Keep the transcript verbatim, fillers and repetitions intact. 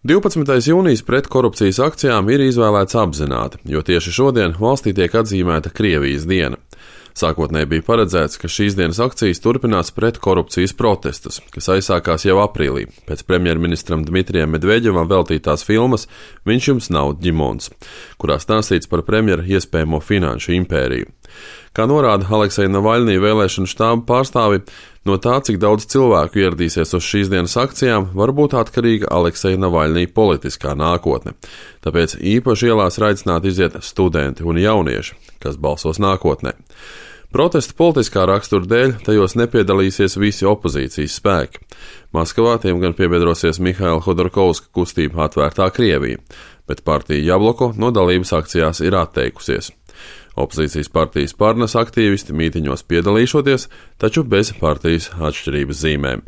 divpadsmitais jūnijas pret korupcijas akcijām ir izvēlēts apzināti, jo tieši šodien valstī tiek atzīmēta Krievijas diena. Sākotnēji bija paredzēts, ka šīs dienas akcijas turpinās pret korupcijas protestus, kas aizsākās jau aprīlī, pēc premjerministram Dmitrijam Medveģevam veltītās filmas Viņš jums nav ģimons, kurā stāstīts par premjera iespējamo finanšu impēriju. Kā norāda Alekseja Navaļnija vēlēšanu štāba pārstāvi, no tā, cik daudz cilvēku ieradīsies uz šīs dienas akcijām, var būt atkarīga Alekseja Navaļnija politiskā nākotne. Tāpēc īpaši ielās ir aicināti iziet studenti un jaunieši, kas balsos nākotnē. Protesta politiskā rakstura dēļ tajos nepiedalīsies visi opozīcijas spēki. Maskavā tiem gan piebiedrosies Mihaila Hodorkovska kustība Atvērtā Krievija, bet partija Jabloko no dalības akcijās ir atteikusies. Opozīcijas partijas Parnas aktīvisti mītiņos piedalīšoties, taču bez partijas atšķirības zīmēm.